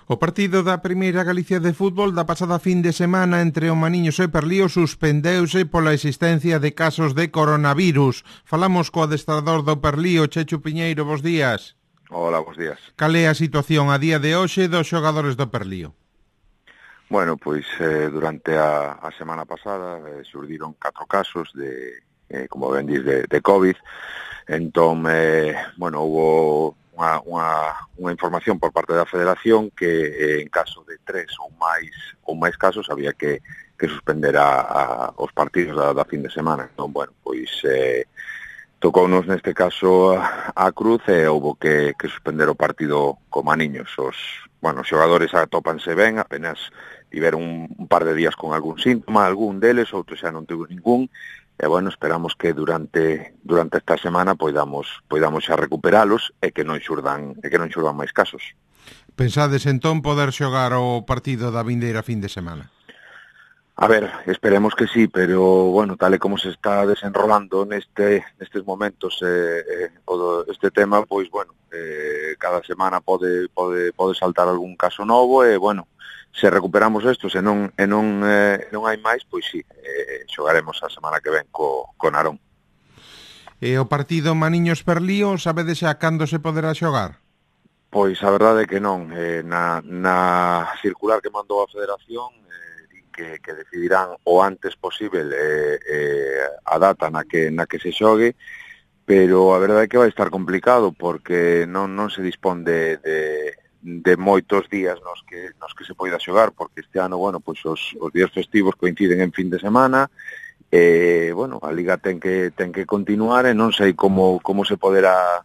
O partido da Primeira Galicia de fútbol da pasada fin de semana entre o Maniños e Perlío suspendeuse pola existencia de casos de coronavirus. Falamos co adestrador do Perlío, Chechu Piñeiro, bos días. Hola, bos días. Cal é a situación a día de hoxe dos xogadores do Perlío? Bueno, pois durante a semana pasada xurdiron 4 casos de, como ben dis, de COVID. Entón, houbo unha información por parte da Federación que en caso de 3 ou máis casos había que suspender os partidos da fin de semana. Entón, tocounos neste caso a cruz e houbo que suspender o partido co Maniños. Os xogadores atópanse ben, apenas tiveron un par de días con algún síntoma, algún deles, outros xa non tivo ningún. E, esperamos que durante esta semana poidamos xa recuperalos e que non xurdan máis casos. Pensades entón poder xogar o partido da vindeira fin de semana? A ver, esperemos que sí, pero, tal e como se está desenrolando nestes momentos este tema, cada semana pode saltar algún caso novo e, se recuperamos isto, se non hai máis, pois sí, xogaremos a semana que ven co Narón. E o partido Maniños-Perlío, sabedes xa cando se poderá xogar? Pois a verdade é que non. Na circular que mandou a Federación, que decidirán o antes posible a data na que se xogue, pero a verdade é que vai estar complicado porque non se dispón de moitos días nos que se poida xogar, porque este ano, os días festivos coinciden en fin de semana, a Liga ten que continuar e non sei como se poderá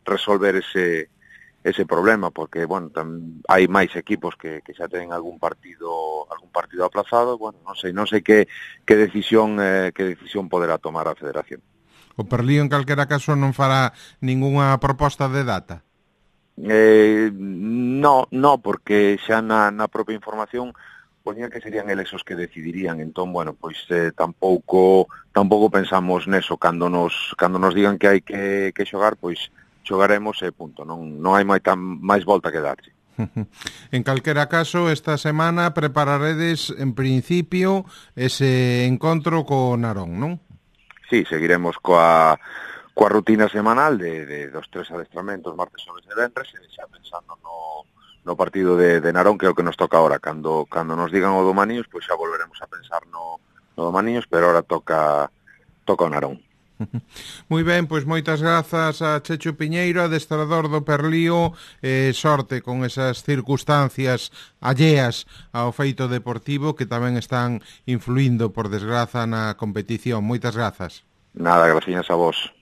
resolver ese problema, porque, hai máis equipos que xa ten algún partido aplazado, non sei que decisión poderá tomar a Federación. O Perlío, en calquera caso, non fará ningunha proposta de data? No, porque xa na propia información poñía que serían eles os que decidirían. Entón, tampouco pensamos neso. Cando nos digan que hai que xogar, pois xogaremos e punto. Non hai máis volta que darlle. En calquera caso, esta semana prepararedes, en principio, ese encontro co Narón, non? Sí, seguiremos coa rutina semanal dos 3 adestramentos, martes, xoves e venres, e xa pensando no partido de Narón, que é o que nos toca ahora. Cando nos digan o do Maniños, pois xa volveremos a pensar no do Maniños, pero ahora toca o Narón. Moi ben, pois moitas grazas a Chechu Piñeiro, adestrador do Perlío, sorte con esas circunstancias alleas ao feito deportivo que tamén están influindo, por desgraza, na competición. Moitas grazas. Nada, gracias a vos.